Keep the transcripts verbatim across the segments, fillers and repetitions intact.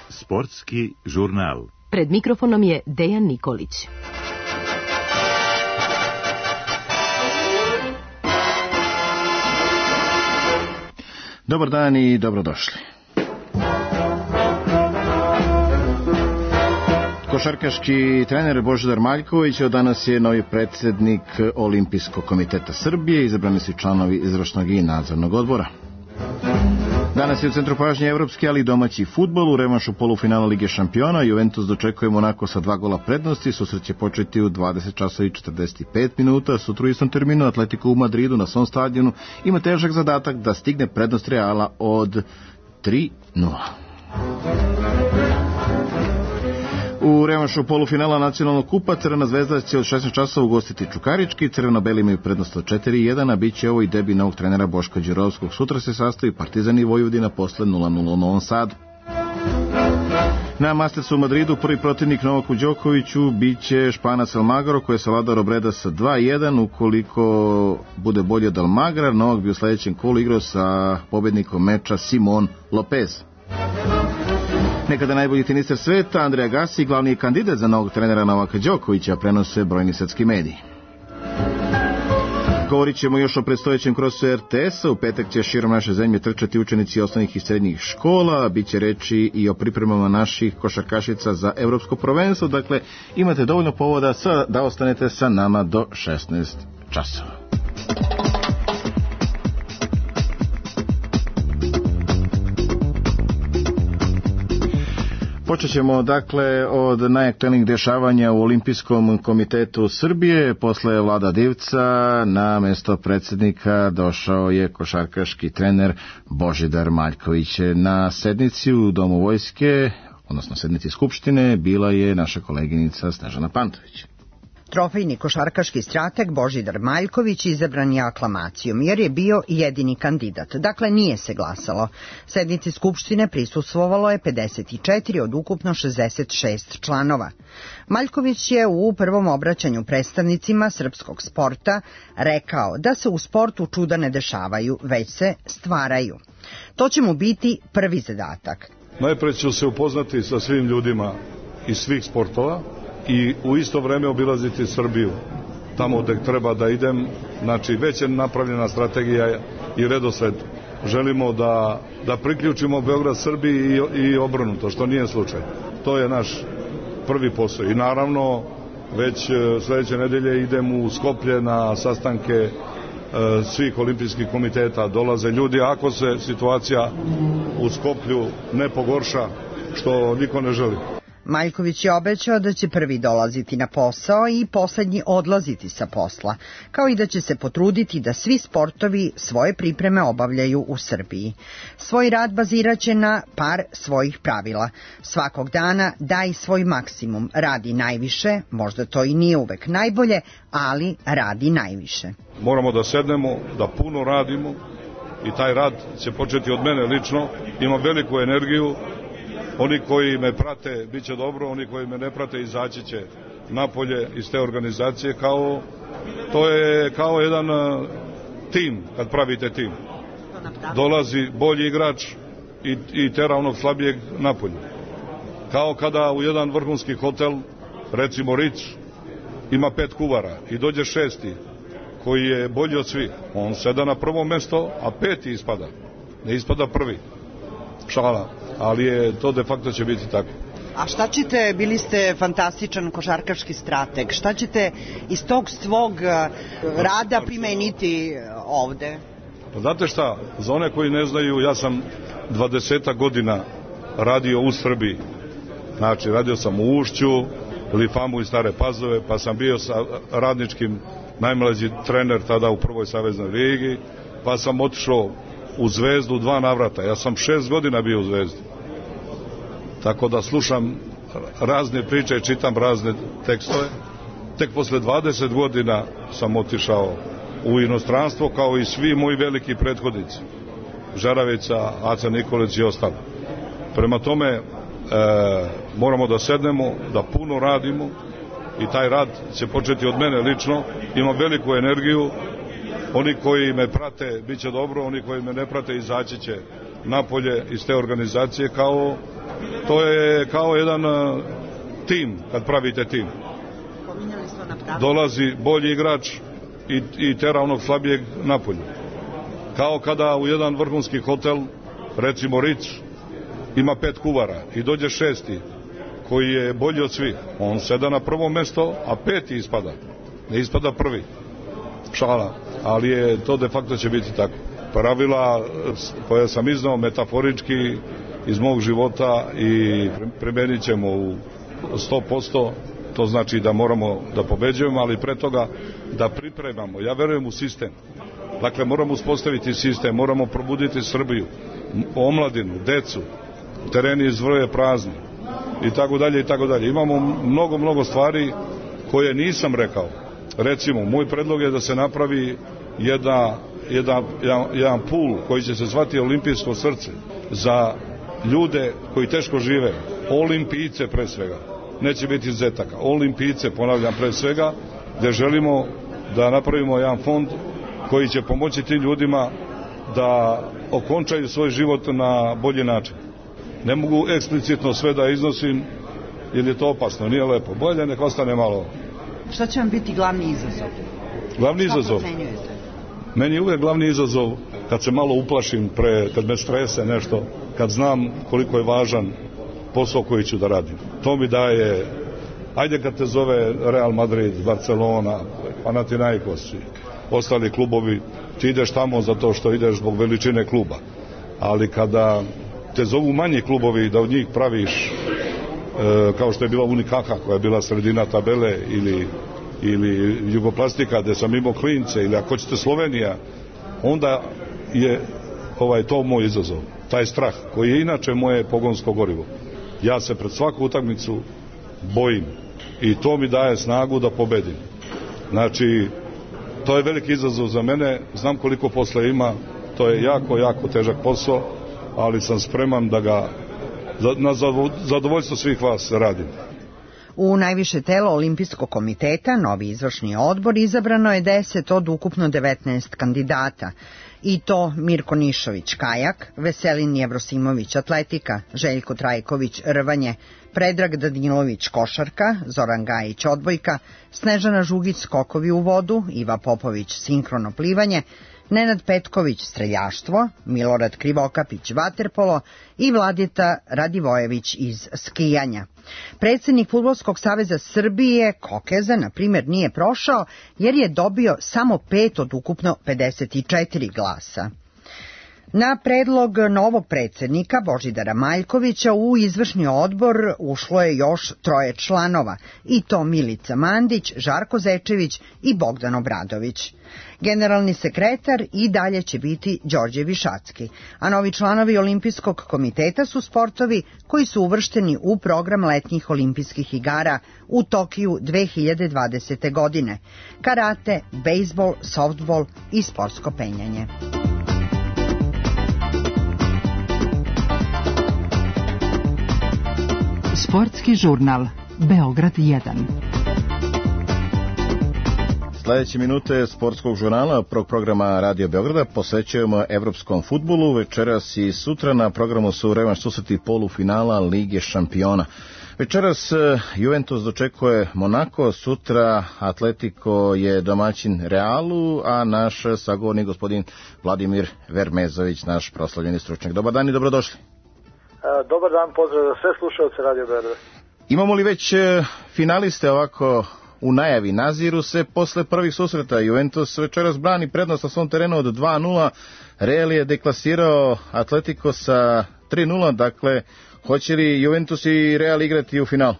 Sportski žurnal. Pred mikrofonom je Dejan Nikolić. Dobar dan i dobrodošli. Košarkaški trener Božidar Maljković od danas je novi predsjednik Olimpijskog komiteta Srbije, izabrani su članovi izvršnog i nadzornog odbora. Danas je u centru pažnje evropski, ali i domaći fudbal. U revanšu polufinala Lige šampiona Juventus dočekuje Monako sa dva gola prednosti. Susret će početi u dvadeset časova i četrdeset pet minuta. Sutra u istom terminu Atletico u Madridu na svom stadionu ima težak zadatak da stigne prednost Reala od tri nula. U revanšu polufinala nacionalnog kupa Crvena zvezda će od šesnaest časova ugostiti Čukarički. Crveno-beli imaju prednost od četiri jedan, a bit će ovo i debi novog trenera Boška Đurovskog. Sutra se sastoji Partizan i Vojvodina posle nula nula u Novom Sadu. Na Mastersu u Madridu prvi protivnik Novaku Đokoviću bit će Španac Almagro, koji je savladao Robreda sa dva jedan. Ukoliko bude bolje od Almagra, Novak bi u sledećem kolu igrao sa pobednikom meča Simon Lopez. Nekada najbolji teniser sveta, Andrej Agassi, glavni je kandidat za novog trenera Novaka Đokovića, prenose brojni svetski mediji. Govorit ćemo još o predstojećem krosu er te es-a. U petak će širom naše zemlje trčati učenici osnovnih i srednjih škola. Biće reči i o pripremama naših košarkašica za evropsko prvenstvo. Dakle, imate dovoljno povoda da ostanete sa nama do šesnaest časova. Počet ćemo dakle od najaktuelnijih dešavanja u Olimpijskom komitetu Srbije. Posle Vlada Divca na mesto predsjednika došao je košarkaški trener Božidar Maljković. Na sednici u Domu vojske, odnosno sednici Skupštine, bila je naša koleginica Snežana Pantović. Trofejni košarkaški strateg Božidar Maljković izabran je aklamacijom jer je bio jedini kandidat. Dakle, nije se glasalo. Sednici Skupštine prisustvovalo je pedeset četiri od ukupno šezdeset šest članova. Maljković je u prvom obraćanju predstavnicima srpskog sporta rekao da se u sportu čuda ne dešavaju, već se stvaraju. To će mu biti prvi zadatak. Najpre ću se upoznati sa svim ljudima iz svih sportova i u isto vreme obilaziti Srbiju, tamo gde treba da idem. Znači, već je napravljena strategija i redosled. Želimo da, da priključimo Beograd Srbiji i, i obrnuto, što nije slučaj. To je naš prvi posao. I naravno, već sledeće nedelje idem u Skoplje na sastanke e, svih olimpijskih komiteta. Dolaze ljudi, ako se situacija u Skoplju ne pogorša, što niko ne želi. Maljković je obećao da će prvi dolaziti na posao i poslednji odlaziti sa posla, kao i da će se potruditi da svi sportovi svoje pripreme obavljaju u Srbiji. Svoj rad baziraće na par svojih pravila. Svakog dana daj svoj maksimum, radi najviše, možda to i nije uvek najbolje, ali radi najviše. Moramo da sednemo, da puno radimo i taj rad će početi od mene lično. Imam veliku energiju. Oni koji me prate bit će dobro, oni koji me ne prate izaći će napolje iz te organizacije. Kao, to je kao jedan uh, tim, kad pravite tim. Dolazi bolji igrač i, i tera onog slabijeg napolje. Kao kada u jedan vrhunski hotel, recimo Ritz, ima pet kuvara i dođe šesti koji je bolji od svih. On seda na prvo mesto, a peti ispada. Ne ispada prvi. Šala. Ali je to de facto će biti tako. A šta ćete, bili ste fantastičan košarkaški strateg, šta ćete iz tog svog rada primeniti ovde? Pa znate šta, za one koji ne znaju, ja sam dvadeset godina radio u Srbiji. Znači, radio sam u Ušću, Lifamu i Stare Pazove, pa sam bio sa radničkim najmlađi trener tada u prvoj saveznoj ligi, pa sam otišao u Zvezdu dva navrata. Ja sam šest godina bio u Zvezdi. Tako da slušam razne priče i čitam razne tekstove. Tek posle dvadeset godina sam otišao u inostranstvo, kao i svi moji veliki prethodnici. Žaravica, Aca Nikolić i ostalo. Prema tome, e, moramo da sednemo, da puno radimo i taj rad će početi od mene lično. Imam veliku energiju Oni koji me prate bit će dobro, oni koji me ne prate izaći će napolje iz te organizacije. Kao, to je kao jedan uh, tim, kad pravite tim. Dolazi bolji igrač i, i tera onog slabijeg napolje. Kao kada u jedan vrhunski hotel, recimo Ritz, ima pet kuvara i dođe šesti koji je bolji od svih. On seda na prvo mesto, a peti ispada. Ne ispada prvi. Šala. Ali je to de facto će biti tako. Pravila koja sam iznao metaforički iz mog života i primenit ćemo u sto posto. To znači da moramo da pobeđujemo, ali pre toga da pripremamo. Ja verujem u sistem. Dakle, moramo uspostaviti sistem, moramo probuditi Srbiju, omladinu, decu, tereni izvrje prazni i tako dalje i tako dalje. Imamo mnogo, mnogo stvari koje nisam rekao. Recimo, moj predlog je da se napravi jedna, jedan, jedan, jedan pul koji će se zvati Olimpijsko srce za ljude koji teško žive, olimpijce pre svega. Neće biti zetaka. Olimpijce, ponavljam, pre svega, gde želimo da napravimo jedan fond koji će pomoći tim ljudima da okončaju svoj život na bolji način. Ne mogu eksplicitno sve da iznosim, jer je to opasno, nije lepo. Bolje nek ostane malo. Šta će vam biti glavni izazov? Glavni Šta izazov? procenjujete? Meni je uvijek glavni izazov kad se malo uplašim, pre, kad me strese nešto, kad znam koliko je važan posao koji ću da radim. To mi daje, ajde kad te zove Real Madrid, Barcelona, Panathinaikos i ostali klubovi, ti ideš tamo zato što ideš zbog veličine kluba. Ali kada te zovu manji klubovi da od njih praviš, e, kao što je bila Unikaka koja je bila sredina tabele, ili, ili Jugoplastika gde sam imao klince, ili ako hoćete Slovenija, onda je ovaj, to moj izazov. Taj strah koji je inače moje pogonsko gorivo. Ja se pred svaku utakmicu bojim i to mi daje snagu da pobedim. Znači, to je veliki izazov za mene, znam koliko posla ima, to je jako, jako težak posao, ali sam spreman da ga na zadovoljstvo svih vas radim. U najviše telo Olimpijskog komiteta, novi izvršni odbor, izabrano je deset od ukupno devetnaest kandidata. I to Mirko Nišović kajak, Veselin Jevrosimović atletika, Željko Trajković rvanje, Predrag Danilović košarka, Zoran Gajić odbojka, Snežana Žugić skokovi u vodu, Iva Popović sinkrono plivanje, Nenad Petković streljaštvo, Milorad Krivokapić vaterpolo i Vladeta Radivojević iz skijanja. Predsjednik Fudbalskog saveza Srbije Kokeza, na primjer, nije prošao jer je dobio samo pet od ukupno pedeset četiri glasa. Na predlog novog predsjednika Božidara Maljkovića u izvršni odbor ušlo je još troje članova, i to Milica Mandić, Žarko Zečević i Bogdan Obradović. Generalni sekretar i dalje će biti Đorđe Višacki, a novi članovi Olimpijskog komiteta su sportovi koji su uvršteni u program letnjih olimpijskih igara u Tokiju dve hiljade dvadesete. godine: karate, bejsbol, softbol i sportsko penjanje. Sportski žurnal Beograd jedan. Sljedeće minute sportskog žurnala prvog programa Radio Beograda posvećujemo evropskom fudbalu. Večeras i sutra na programu su revanš susreti polufinala Lige šampiona. Večeras Juventus dočekuje Monako, sutra Atletico je domaćin Realu, a naš sagovornik gospodin Vladimir Vermezović, naš proslavljeni stručnjak. Dobar dan i dobrodošli. Dobar dan, pozdrav za sve slušalce Radio Beograda. Imamo li već finaliste ovako u najavi? Naziru se posle prvih susreta. Juventus večeras brani prednost na svom terenu od dva nula. Real je deklasirao Atletico sa tri nula. Dakle, hoće li Juventus i Real igrati u finalu?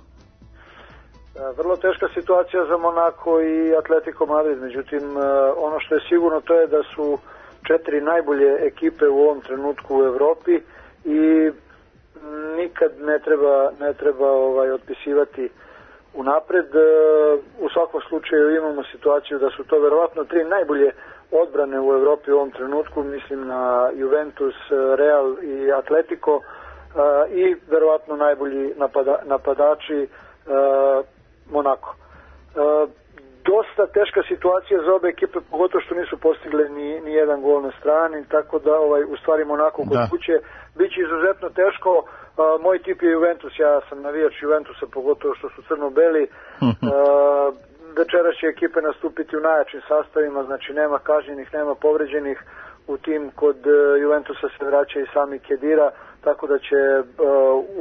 Vrlo teška situacija za Monako i Atletico Madrid. Međutim, ono što je sigurno to je da su četiri najbolje ekipe u ovom trenutku u Evropi i nikad ne treba, ne treba ovaj, otpisivati unapred. U svakom slučaju imamo situaciju da su to verovatno tri najbolje odbrane u Evropi u ovom trenutku, mislim na Juventus, Real i Atletico, i verovatno najbolji napada, napadači Monako. Do dosta teška situacija za obe ekipe, pogotovo što nisu postigle ni, ni jedan gol na strani, tako da ovaj, u stvari Monako kod da. kuće biće izuzetno teško. Uh, moj tip je Juventus, ja sam navijač Juventusa, pogotovo što su crno-beli. Uh, večeras će ekipe nastupiti u najjačim sastavima, znači nema kažnjenih, nema povređenih. U tim kod uh, Juventusa se vraća i sami Kedira, tako da će uh,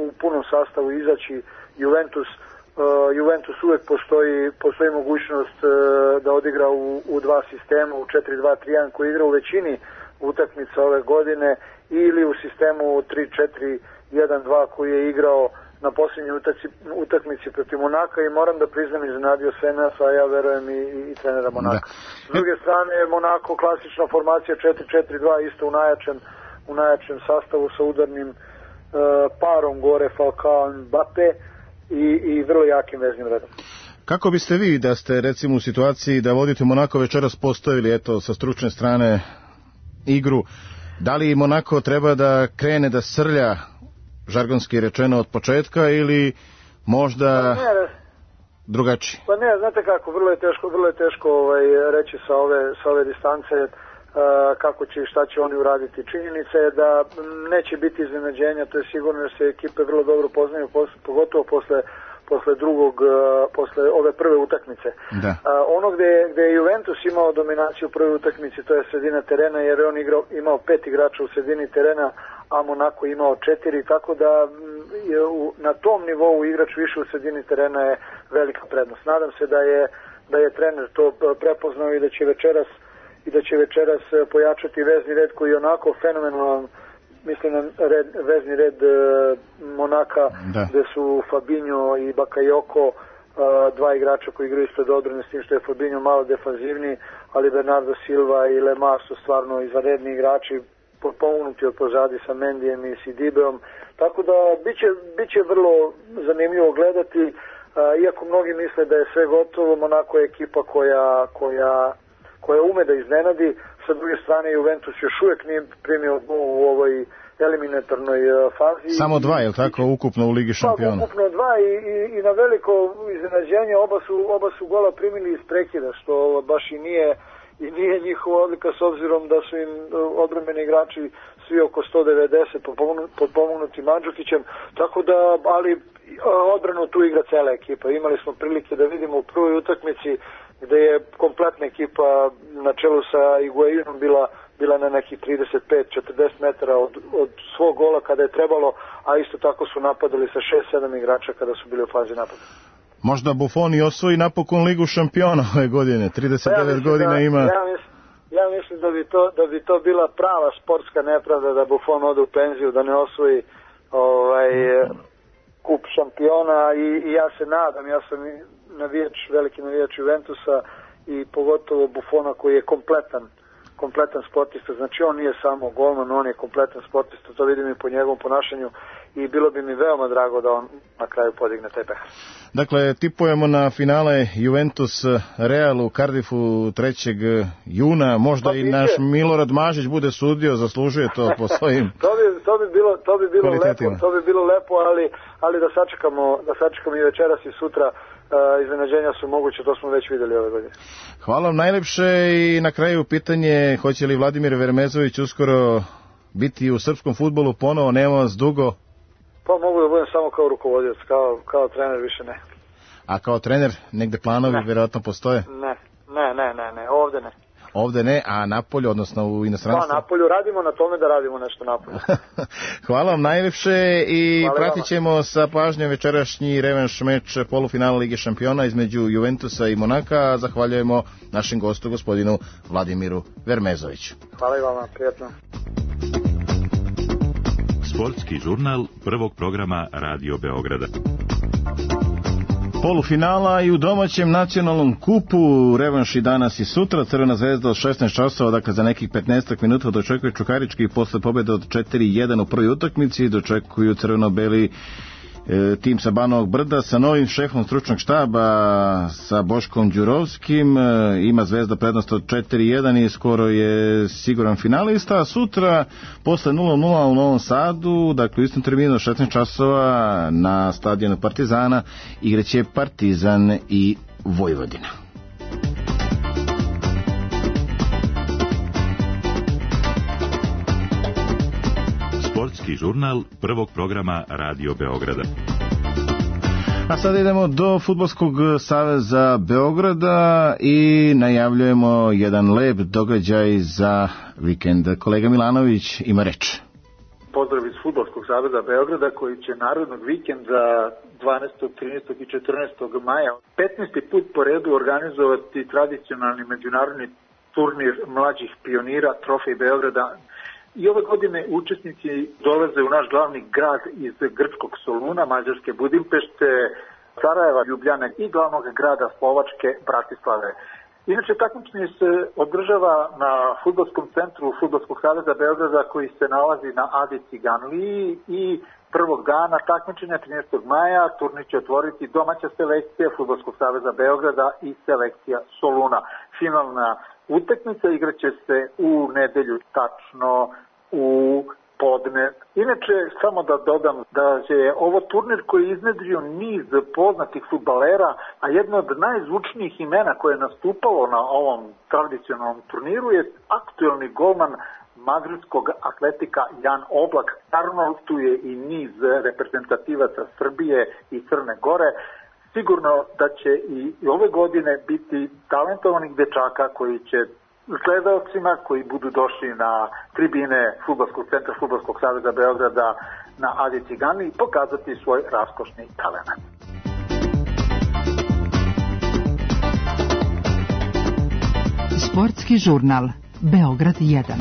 u punom sastavu izaći Juventus. Uh, Juventus uvek postoji, postoji mogućnost uh, da odigra u, u dva sistema, u četiri dva tri jedan koji igra u većini utakmica ove godine, ili u sistemu tri četiri jedan dva koji je igrao na posljednjoj utakmici protiv Monaka, i moram da priznam iznenadio sve nas, a ja verujem i, i, i trenera Monaka. S druge strane, Monako klasična formacija četiri četiri dva, isto u najjačem, u najjačem sastavu sa udarnim uh, parom gore Falcao i Mbappe i, i vrlo jakim veznim redom. Kako biste vi, da ste recimo u situaciji da vodite Monako, večeras postavili eto sa stručne strane igru, da li Monako treba da krene da srlja, žargonski rečeno, od početka, ili možda pa ne, drugačije? Pa ne, znate kako, vrlo je teško, vrlo je teško ovaj, reći sa ove, sa ove distance uh, kako će i šta će oni uraditi. Činjenica je da neće biti iznenađenja, to je sigurno, jer se ekipe vrlo dobro poznaju, pogotovo posle posle drugog, posle ove prve utakmice. Da. Uh, ono gde, gde je Juventus imao dominaciju u prvoj utakmici, to je sredina terena, jer je on igrao, imao pet igrača u sredini terena, a Monako imao četiri, tako da je u, na tom nivou igrač više u sredini terena je velika prednost. Nadam se da je, da je trener to prepoznao i da će večeras i da će večeras pojačati vezni red koji je onako fenomenalan. Mislim na red, vezni red e, Monaka, da. Gde su Fabinho i Bakayoko, e, dva igrača koji igraju ispred odbrane, s tim što je Fabinho malo defanzivniji, ali Bernardo Silva i Lemar su stvarno izvanredni igrači, pomognuti od pozadi sa Mendijem i Sidibeom, tako da biće, biće vrlo zanimljivo gledati, e, iako mnogi misle da je sve gotovo. Monako je ekipa koja, koja, koja ume da iznenadi. Sa druge strane, Juventus još uvijek nije primio u ovoj eliminatornoj fazi. Samo dva, je li tako, ukupno u Ligi šampiona? Pa, ukupno dva i, i, i na veliko iznenađenje oba su, oba su gola primili iz prekida, što baš i nije, i nije njihova odlika, s obzirom da su im odbrambeni igrači svi oko sto devedeset potpomognuti Mandžukićem, tako da, ali odbranu tu igra cela ekipa. Imali smo prilike da vidimo u prvoj utakmici gde je kompletna ekipa na čelu sa Higuainom bila, bila na nekih trideset pet do četrdeset metara od, od svog gola kada je trebalo, a isto tako su napadali sa šest sedam igrača kada su bili u fazi napada. Možda Buffon i osvoji napokon Ligu šampiona ove godine, trideset devet ja godina da, ima. Ja mislim, ja mislim da, bi to, da bi to bila prava sportska nepravda da Buffon ode u penziju, da ne osvoji ovaj, kup šampiona, i, i ja se nadam, ja sam navijač, veliki navijač Juventusa i pogotovo Buffona koji je kompletan kompletan sportista, znači on nije samo golman, on je kompletan sportista, to vidim i po njegovom ponašanju, i bilo bi mi veoma drago da on na kraju podigne taj pehar. Dakle, tipujemo na finale Juventus Real u Cardiffu trećeg juna, možda pa, i naš Milorad Mažić bude sudio, zaslužuje to po svojim to bi, to bi bilo, to bi bilo lepo, to bi bilo lepo, ali, ali da sačekamo, da sačekamo i večeras i sutra. Uh, iznenađenja su moguće, to smo već vidjeli ove godine. Hvala vam najlepše, i na kraju pitanje, hoće li Vladimir Vermezović uskoro biti u srpskom fudbalu ponovo, nema vas dugo? Pa mogu da budem samo kao rukovodilac, kao, kao trener više ne. A kao trener negde planovi ne. Vjerojatno postoje? Ne, ne, ne, ne, ne, ovde ne. Ovde ne, a napolju, odnosno u inostranstvu? Pa napolju, radimo na tome da radimo nešto napolju. Hvala vam najlepše, i Hvala pratit ćemo sa pažnjom večerašnji revanš meč polufinala Lige šampiona između Juventusa i Monaka. Zahvaljujemo našem gostu, gospodinu Vladimiru Vermezoviću. Hvala i vama, prijatno. Sportski žurnal prvog programa Radio Beograda. Polufinala i u domaćem nacionalnom kupu, revanš i danas i sutra. Crvena zvezda od šesnaest časova, dakle za nekih petnaest minuta dočekuje Čukarički, i posle pobjede od četiri jedan u prvoj utakmici dočekuju crveno-beli e, tim sa Banovog Brda sa novim šefom stručnog štaba, sa Boškom Đurovskim. E, ima Zvezda prednost od četiri jedan i skoro je siguran finalista. A sutra posle nula nula u Novom Sadu, dakle u istom terminu šesnaest časova na stadionu Partizana, igraće Partizan i Vojvodina. Sportski žurnal prvog programa Radio Beograda. A sada idemo do Fudbalskog saveza Beograda i najavljujemo jedan lep događaj za vikend. Kolega Milanović ima reč. Pozdrav iz Fudbalskog saveza Beograda koji će narodnog vikenda dvanaestog, trinaestog i četrnaestog maja petnaesti put po redu organizovati tradicionalni međunarodni turnir mlađih pionira Trofej Beograda. I ove godine učesnici dolaze u naš glavni grad iz grčkog Soluna, mađarske Budimpešte, Sarajeva, Ljubljane i glavnog grada Slovačke Bratislave. Inače, takmičenje se održava na fudbalskom centru Fudbalskog saveza Beograda koji se nalazi na Adi Ciganliji i prvog dana takmičenja trinaestog maja turnir će otvoriti domaća selekcija Fudbalskog saveza Beograda i selekcija Soluna. Finalna utakmica igraće se u nedelju, tačno u podne. Inače, samo da dodam da je ovo turnir koji je iznedrio niz poznatih fudbalera, a jedno od najzvučnijih imena koje je nastupalo na ovom tradicionalnom turniru je aktuelni golman madridskog Atletika Jan Oblak. Naravno, tu je i niz reprezentativaca Srbije i Crne Gore. Sigurno da će i ove godine biti talentovanih dečaka koji će gledaocima koji budu došli na tribine Fudbalskog centra Fudbalskog saveza Beograda na Adi Cigani pokazati svoj raskošni talent. Sportski žurnal Beograd jedan.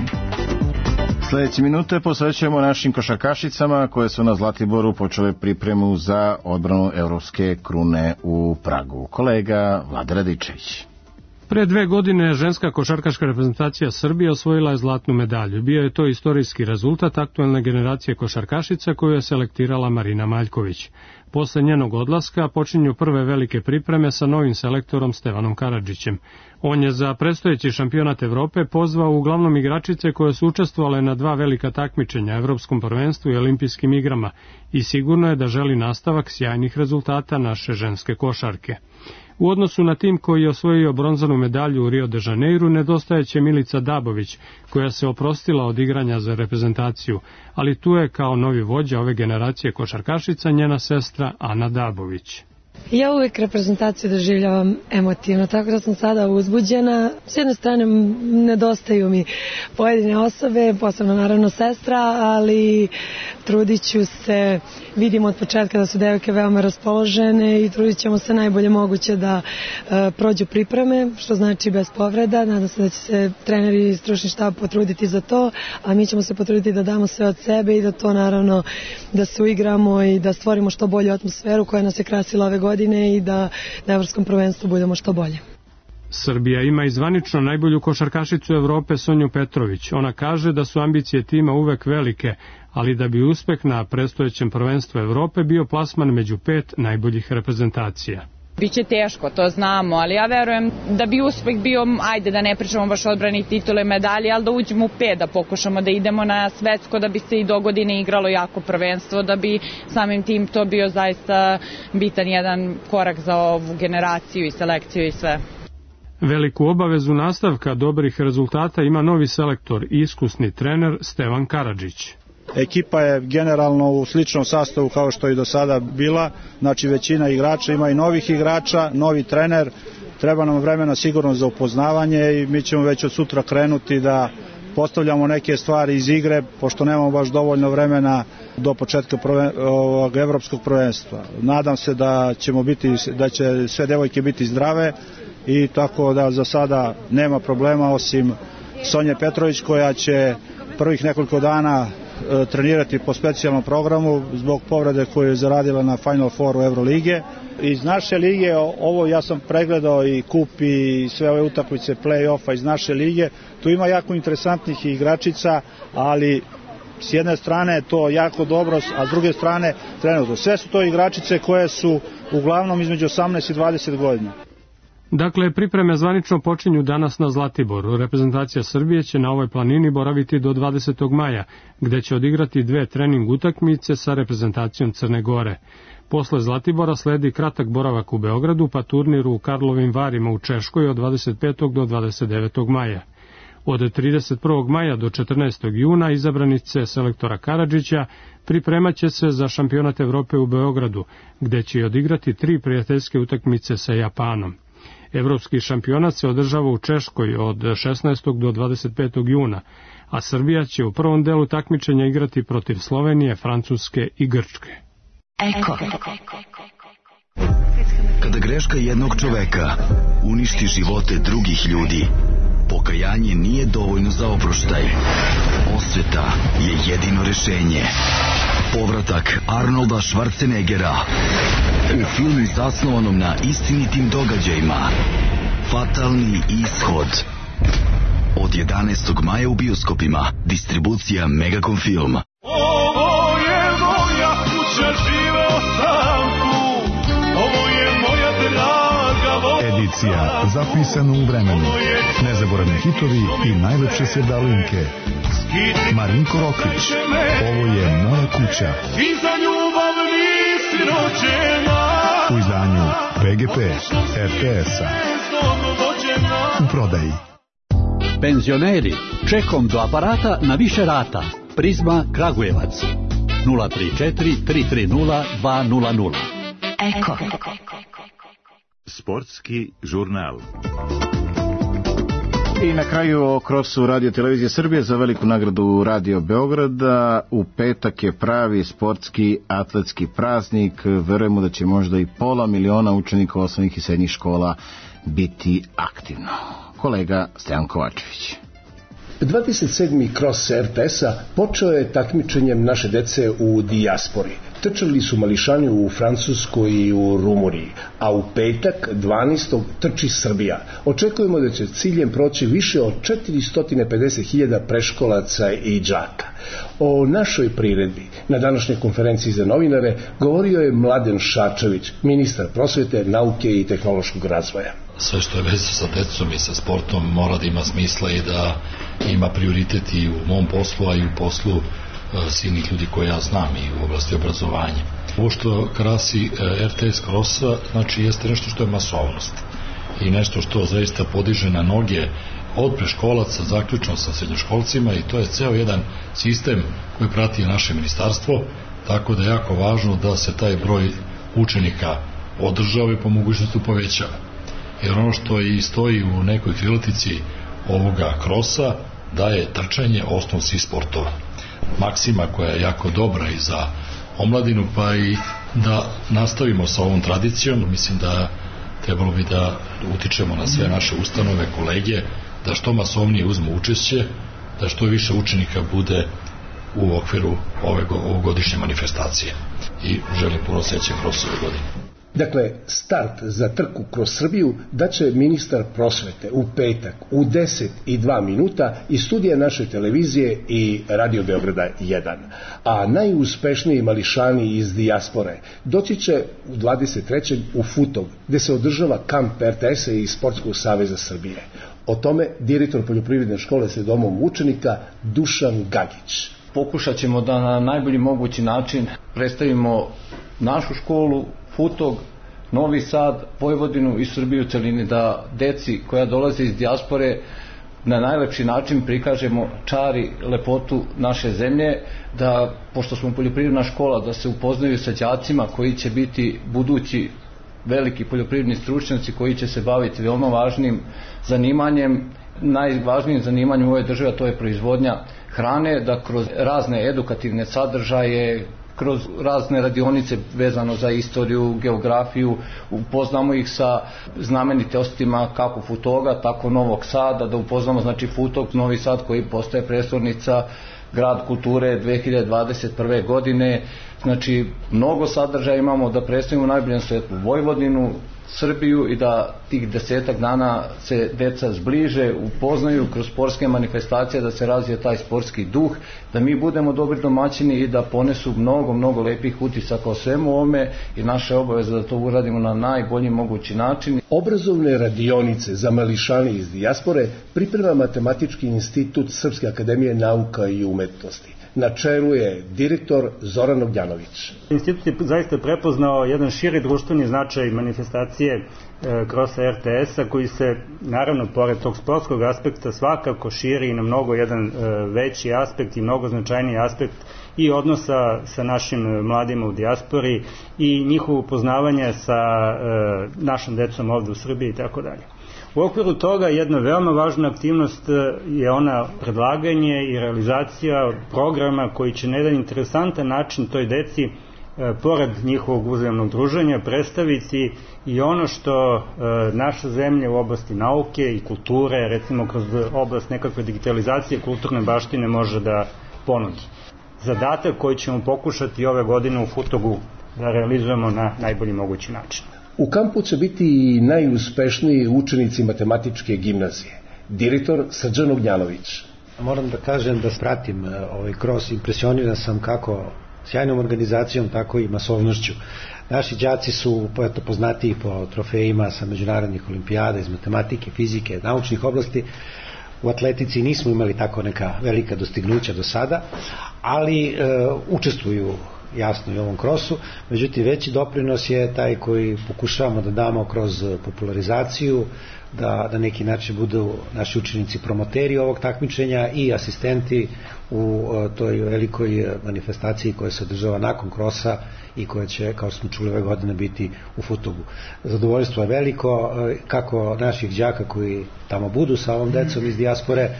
Sljedeće minute posvećujemo našim košarkašicama koje su na Zlatiboru počele pripremu za odbranu evropske krune u Pragu. Kolega Vlada Radičević. Pre dve godine ženska košarkaška reprezentacija Srbije osvojila je zlatnu medalju. Bio je to istorijski rezultat aktuelne generacije košarkašica koju je selektirala Marina Maljković. Posle njenog odlaska počinju prve velike pripreme sa novim selektorom Stevanom Karadžićem. On je za predstojeći šampionat Evrope pozvao uglavnom igračice koje su učestvovale na dva velika takmičenja, Evropskom prvenstvu i Olimpijskim igrama, i sigurno je da želi nastavak sjajnih rezultata naše ženske košarke. U odnosu na tim koji je osvojio bronzanu medalju u Rio de Janeiru nedostajeće Milica Dabović, koja se oprostila od igranja za reprezentaciju, ali tu je kao novi vođa ove generacije košarkašica njena sestra Ana Dabović. Ja uvijek reprezentaciju doživljavam emotivno, tako da sam sada uzbuđena. S jedne strane nedostaju mi pojedine osobe, posebno naravno sestra, ali trudit ću se, vidimo od početka da su devojke veoma raspoložene i trudit ćemo se najbolje moguće da e, prođu pripreme, što znači bez povreda. Nadam se da će se treneri i stručni štab potruditi za to, a mi ćemo se potruditi da damo sve od sebe i da to naravno da se uigramo i da stvorimo što bolju atmosferu koja nas je krasila ove godine i da na evropskom prvenstvu budemo što bolje. Srbija ima i zvanično najbolju košarkašicu Evrope Sonju Petrović. Ona kaže da su ambicije tima uvek velike, ali da bi uspeh na predstojećem prvenstvu Evrope bio plasman među pet najboljih reprezentacija. Biće teško, to znamo, ali ja verujem da bi uspeh bio, ajde da ne pričamo baš odbrani titule medalje, ali da uđemo u pet, da pokušamo da idemo na svetsko, da bi se i do godine igralo jako prvenstvo, da bi samim tim to bio zaista bitan jedan korak za ovu generaciju i selekciju i sve. Veliku obavezu nastavka dobrih rezultata ima novi selektor i iskusni trener Stevan Karadžić. Ekipa je generalno u sličnom sastavu kao što je do sada bila, znači većina igrača, ima i novih igrača, novi trener, treba nam vremena sigurno za upoznavanje i mi ćemo već od sutra krenuti da postavljamo neke stvari iz igre, pošto nemamo baš dovoljno vremena do početka prven, ovog evropskog prvenstva. Nadam se da ćemo biti, da će sve devojke biti zdrave i tako da za sada nema problema osim Sonje Petrović koja će prvih nekoliko dana trenirati po specijalnom programu zbog povrede koju je zaradila na Final Fouru Evrolige. Iz naše lige, ovo ja sam pregledao i kup i sve ove utakmice play-offa iz naše lige, tu ima jako interesantnih igračica, ali s jedne strane je to jako dobro, a s druge strane trenutno. Sve su to igračice koje su uglavnom između osamnaest i dvadeset godina. Dakle, pripreme zvanično počinju danas na Zlatiboru. Reprezentacija Srbije će na ovoj planini boraviti do dvadesetog maja, gde će odigrati dve trening utakmice sa reprezentacijom Crne Gore. Posle Zlatibora sledi kratak boravak u Beogradu, pa turnir u Karlovim Varima u Češkoj od dvadeset petog do dvadeset devetog maja. Od trideset prvog maja do četrnaestog juna izabranice selektora Karadžića pripremat će se za šampionat Evrope u Beogradu, gde će odigrati tri prijateljske utakmice sa Japanom. Evropski šampionat se održava u Češkoj od šesnaestog do dvadeset petog juna, a Srbija će u prvom delu takmičenja igrati protiv Slovenije, Francuske i Grčke. Eko. Kada greška jednog čoveka uništi živote drugih ljudi, pokajanje nije dovoljno za oproštaj. Osveta je jedino rešenje. Povratak Arnolda Schwarzeneggera u filmu zasnovanom na istinitim događajima. Fatalni ishod. Od jedanaestog maja u bioskopima. Distribucija Megacom Film. Ovo je moja kuća, živeo sam tu. Ovo je moja draga voda. Edicija zapisana u vremenu. Nezaboravni hitovi i najlepše sevdalinke. Marinko Rokvić. Ovo je moja kuća. I za ljubav nisi rođena. U izdanju P G P R T S-a. U prodaji. Penzioneri, čekom do aparata na više rata. Prizma Kragujevac. nula tri četiri tri tri nula dva nula nula. Eko. Sportski žurnal. I na kraju o krosu Radio Televizije Srbije za veliku nagradu Radio Beograda. U petak je pravi sportski atletski praznik. Verujemo da će možda i pola miliona učenika osnovnih i srednjih škola biti aktivno. Kolega Stojan Kovačević. dvadeset sedmi kros R T S-a počeo je takmičenjem naše dece u dijaspori. Trčali su mališani u Francuskoj i u Rumuniji, a u petak dvanaestog trči Srbija. Očekujemo da će ciljem proći više od četiristo pedeset hiljada preškolaca i đaka. O našoj priredbi na današnjoj konferenciji za novinare govorio je Mladen Šarčević, ministar prosvete, nauke i tehnološkog razvoja. Sve što je vezano sa decom i sa sportom mora da ima smisla i da ima prioritet i u mom poslu, a i u poslu silnih ljudi koje ja znam i u oblasti obrazovanja. Ovo što krasi R T S Crossa, znači jeste nešto što je masovnost i nešto što zaista podiže na noge od preškolaca zaključno sa srednjoškolcima i to je ceo jedan sistem koji prati naše ministarstvo, tako da je jako važno da se taj broj učenika održava i po mogućnosti povećava. Jer ono što i stoji u nekoj krilatici ovoga krosa da je trčanje osnov svih sportova. Maksima koja je jako dobra i za omladinu, pa i da nastavimo sa ovom tradicijom. Mislim da trebalo bi da utičemo na sve naše ustanove, kolege, da što masovnije uzmu učešće, da što više učenika bude u okviru ove ovogodišnje manifestacije. I želim puno sreće kroz ove godine. Dakle, start za trku kroz Srbiju daće ministar prosvete u petak u deset i dva minuta iz studija naše televizije i Radio Beograda jedan. A najuspešniji mališani iz dijaspore doći će u dvadeset trećeg u Futog, gde se održava kamp R T S-a i Sportskog saveza Srbije. O tome direktor poljoprivredne škole sa domom učenika Dušan Gagić. Pokušat ćemo da na najbolji mogući način predstavimo našu školu, Futog, Novi Sad, Vojvodinu i Srbiju u celini, da deci koja dolaze iz dijaspore na najlepši način prikažemo čar i lepotu naše zemlje, da, pošto smo poljoprivredna škola, da se upoznaju sa đacima koji će biti budući veliki poljoprivredni stručnjaci koji će se baviti veoma važnim zanimanjem, najvažnijim zanimanjem u ovoj državi, a to je proizvodnja hrane, da kroz razne edukativne sadržaje, kroz razne radionice vezano za istoriju, geografiju, upoznamo ih sa znamenitostima kako Futoga, tako Novog Sada, da upoznamo znači Futog, Novi Sad koji postaje prestolnica, grad kulture dve hiljade dvadeset prve godine. Znači, mnogo sadržaja imamo da predstavimo najboljem svetu Vojvodinu, Srbiju i da tih desetak dana se deca zbliže, upoznaju kroz sportske manifestacije, da se razvije taj sportski duh, da mi budemo dobri domaćini i da ponesu mnogo, mnogo lepih utisaka o svemu ovome i naša obaveza da to uradimo na najbolji mogući način. Obrazovne radionice za mališane iz dijaspore priprema Matematički institut Srpske akademije nauka i umetnosti. Na čelu je direktor Zoran Ognjanović. Institut je zaista prepoznao jedan širi društveni značaj manifestacije organizacije Krosa er te es-a, koji se naravno pored tog sportskog aspekta svakako širi i na mnogo jedan veći aspekt i mnogo značajniji aspekt i odnosa sa našim mladima u dijaspori i njihovo upoznavanje sa našom decom ovde u Srbiji i tako dalje. U okviru toga jedna veoma važna aktivnost je ona predlaganje i realizacija programa koji će na jedan interesantan način toj deci pored njihovog uzajamnog druženja predstaviti i ono što naša zemlja u oblasti nauke i kulture, recimo kroz oblast nekakve digitalizacije kulturne baštine može da ponudi. Zadatak koji ćemo pokušati ove godine u Futogu da realizujemo na najbolji mogući način. U kampu će biti i najuspešniji učenici matematičke gimnazije. Direktor Srđan Ognjanović. Moram da kažem da spratim ovaj Kros, impresioniran sam kako sjajnom organizacijom, tako i masovnošću. Naši đaci su eto, poznatiji po trofejima sa međunarodnih olimpijada iz matematike, fizike, naučnih oblasti. U atletici nismo imali tako neka velika dostignuća do sada, ali e, učestvuju jasno i u ovom krosu, međutim veći doprinos je taj koji pokušavamo da damo kroz popularizaciju, da na neki način budu naši učenici promoteri ovog takmičenja i asistenti u toj velikoj manifestaciji koja se održava nakon krosa i koja će, kao smo čuli ove godine, biti u Futogu. Zadovoljstvo je veliko, kako naših đaka koji tamo budu sa ovom decom iz dijaspore,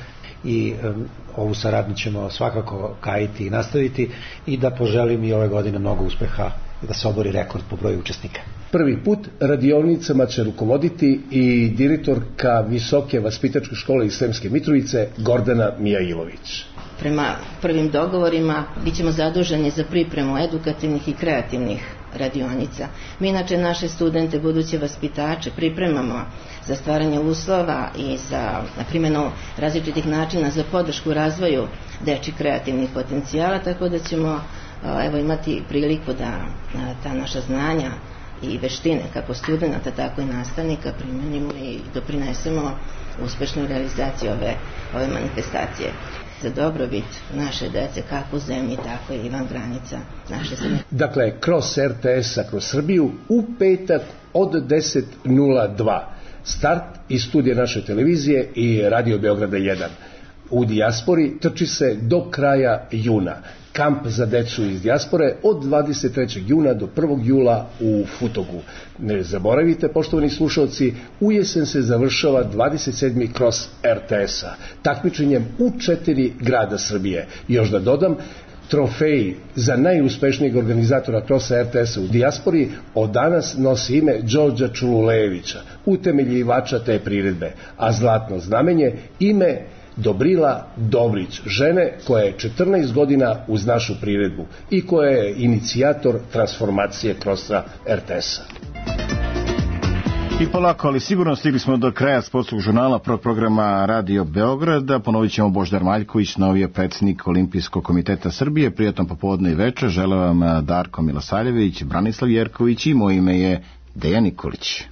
i um, ovu saradnju ćemo svakako kajiti i nastaviti i da poželim i ove godine mnogo uspeha i da se obori rekord po broju učesnika. Prvi put radionicama će rukovoditi i direktorka Visoke vaspitačke škole iz Sremske Mitrovice Gordana Mijailović. Prema prvim dogovorima bit ćemo zaduženi za pripremu edukativnih i kreativnih radionica. Mi inače naše studente, buduće vaspitače, pripremamo za stvaranje uslova i za primjenu različitih načina za podršku razvoju dečjih kreativnih potencijala, tako da ćemo evo, imati priliku da ta naša znanja i veštine kako studenta, tako i nastavnika primenimo i doprinesemo uspešnoj realizaciji ove, ove manifestacije za dobrobit naše dece, kako u zemlji, tako i van granica naše zemlje. Dakle, Kros er te es-a kroz Srbiju u petak od deset nula dva. Start iz studija naše televizije i Radio Beograda jedan. U dijaspori trči se do kraja juna. Kamp za decu iz dijaspore od dvadeset trećeg juna do prvog jula u Futogu. Ne zaboravite, poštovani slušalci, u jesen se završava dvadeset sedmi Kros er te es-a, takmičenjem u četiri grada Srbije. Još da dodam, trofej za najuspešnijeg organizatora Krosa er te es-a u dijaspori od danas nosi ime Đorđa Čululejevića, utemeljivača te priredbe, a zlatno znamenje ime Dobrila Dobrić, žene koja je četrnaest godina uz našu priredbu i koja je inicijator transformacije Krosa er te es-a. I polako, ali sigurno stigli smo do kraja sportskog žurnala prvog programa Radio Beograda. Ponovit ćemo Božidar Maljković, novi je predsjednik Olimpijskog komiteta Srbije. Prijatno popodne i večer. Želim vam Darko Milosavljević, Branislav Jerković i moje ime je Dejan Nikolić.